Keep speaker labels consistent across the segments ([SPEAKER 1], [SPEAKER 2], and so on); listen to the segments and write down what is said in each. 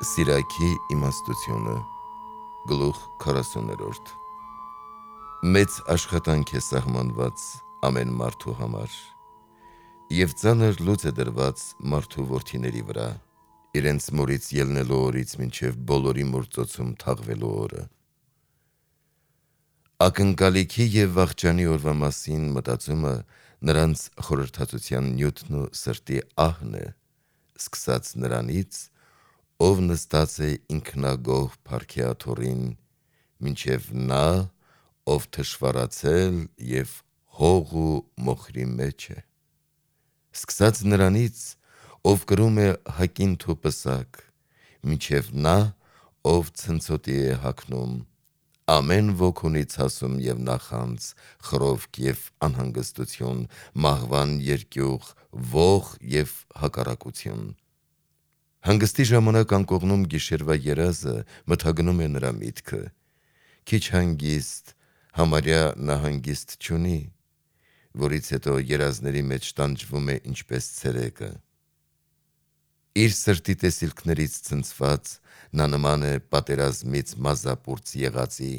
[SPEAKER 1] Սիրակի իմաստությունը Գլուխ 40-րդ Մեծ աշխատանք է սահմանված ամեն մարդու համար և ծանր լուծ է դրված մարդու որդիների վրա իրենց մորից ելնելու օրից մինչև բոլորի մործոցում թաղվելու օրը Ակնկալիքի և վախճանի օրվա մասին մտածումը նրանց խորհրդածության նյութն ու սրտի ահն է սկսած նրանից ով նստած է ինքնագոհ փառքի աթոռին մինչև նա ով թշվառացել և հող ու մոխրի մեջ է սկսած նրանից ով կրում է հակինթ ու պսակ մինչև նա ով ցնցոտի է հագնում ամեն ոք ունի ցասում և նախանձ խռովք և անհանգստություն մահվան երկյուղ ոխ և հակառակություն Հանգստի ժամանակ անկողնում գիշերվա երազը մթագնում է նրա միտքը քիչ հանգիստ համարյա նա հանգիստ չունի որից հետո երազների մեջ տանջվում է ինչպես ցերեկը Իր սրտի տեսիլքներից ցնցված նա նման է պատերազմից մազապուրծ եղածի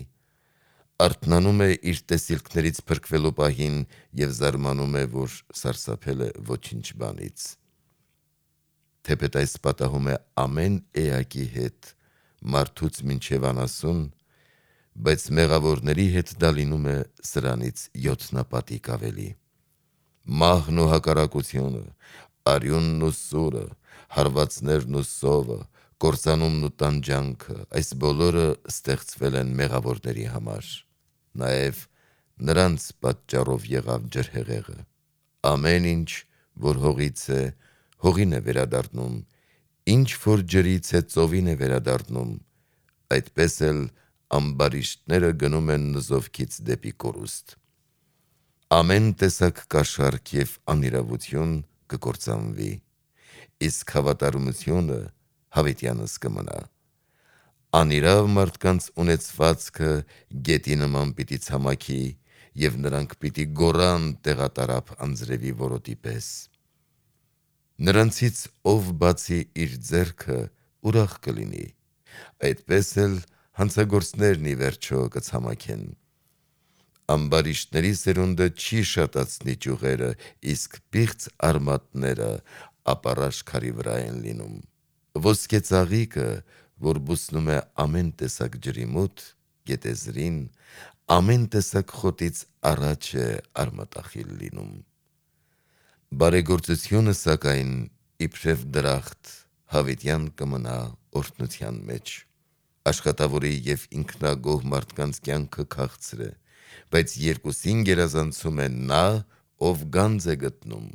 [SPEAKER 1] արթնանում է իր տեսիլքներից փրկվելու պահին և զարմանում է որ սարսափել է ոչինչ բանից Թեպետ այս պատահում է ամեն էակի հետ մարդուց մինչև անասուն բայց մեղավորների հետ դա լինում է սրանից յոթնապատիկ ավելի Մահն ու հակառակությունը արյունն ու սուրը հարվածներն ու սովը կործանումն ու տանջանքը այս բոլորը ստեղծվել են մեղավորների համար նաև նրանց պատճառով եղավ ջրհեղեղը Ամեն ինչ որ հողից է հողին է վերադառնում ինչ որ ջրից է ծովին է վերադառնում այդպես էլ ամբարիշտները գնում են նզովքից դեպի կորուստ Ամեն տեսակ կաշառք և անիրավություն կկործանվի իսկ հավատարմությունը հավիտյանս կմնա Անիրավ մարդկանց ունեցվածքը գետի նման պիտի ցամաքի և նրանք պիտի գոռան տեղատարափ անձրևի որոտի պես Նրանցից ով բացի իր ձեռքը ուրախ կլինի այդպես էլ հանցագործներն ի վերջո կցամաքեն Ամբարիշտների սերունդը չի շատացնի ճյուղերը իսկ պիղծ արմատները ապառաշ քարի վրա են լինում Ոսկե ծաղիկը որ բուսնում է ամեն տեսակ ջրի մոտ գետեզրին ամեն տեսակ խոտից առաջ է արմատախիլ լինում Բարեգործությունը սակայն իբրև դրախտ հավիտյան կմնա օրհնության մեջ Աշխատավորի և ինքնագոհ մարդկանց կյանքը քաղցր է բայց երկուսին գերազանցում է նա ով գանձ է գտնում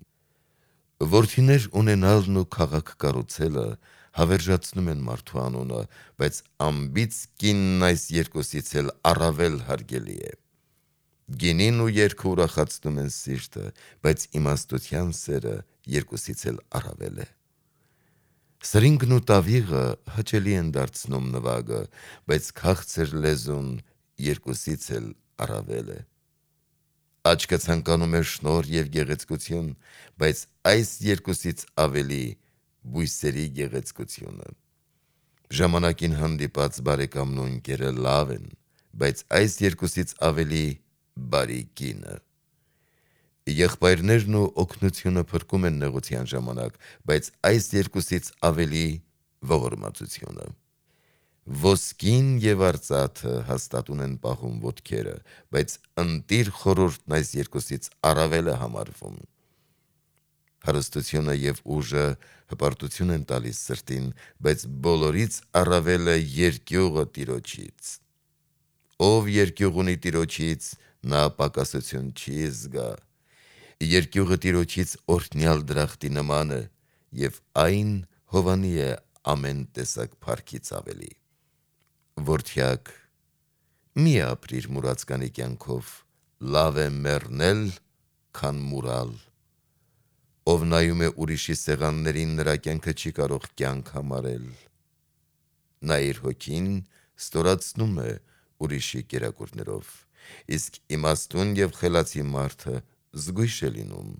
[SPEAKER 1] Որդիներ ունենալն ու քաղաք կառուցելը հավերժացնում են մարդու անունը բայց անբիծ կինն այս երկուսից էլ առավել հարգելի է Գինին ու երգը ուրախացնում են սիրտը բայց իմաստության սերը երկուսից էլ առավել է Սրինգն ու տավիղը հաճելի են դարձնում նվագը բայց քաղցր լեզուն երկուսից էլ առավել է Աչքը ցանկանում է շնորհ և գեղեցկություն բայց այս երկուսից ավելի բույսերի գեղեցկությունը Ժամանակին հանդիպած բարեկամն ու ընկերը լավ են բայց այս երկուսից ավելի բարի կինը Եղբայրներն ու օգնությունը փրկում են նեղության ժամանակ բայց այս երկուսից ավելի ողորմածությունը Ոսկին և արծաթը հաստատուն են պահում ոտքերը բայց ընտիր խորհուրդն այս երկուսից առավել է համարվում Հարստությունը և ուժը հպարտություն են տալիս սրտին բայց բոլորից առավել է երկյուղը Տիրոջից Ով երկյուղ ունի Տիրոջից նա պակասություն չի զգա Երկյուղը Տիրոջից օրհնյալ դրախտի նման է և այն հովանի է ամեն տեսակ փառքից ավելի Որդյակ մի ապրիր մուրացկանի կյանքով լավ է մեռնել քան մուրալ Ով նայում է ուրիշի սեղաններին նրա կյանքը չի կարող կյանք համարել Նա իր հոգին ստորացնում է ուրիշի կերակուրներով իսկ իմաստուն և խելացի մարդը զգույշ է լինում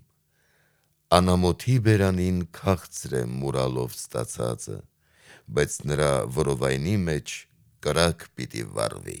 [SPEAKER 1] Անամոթի բերանին քաղցր է մուրալով ստացածը բայց նրա որովայնի մեջ կրակ պիտի վառվի։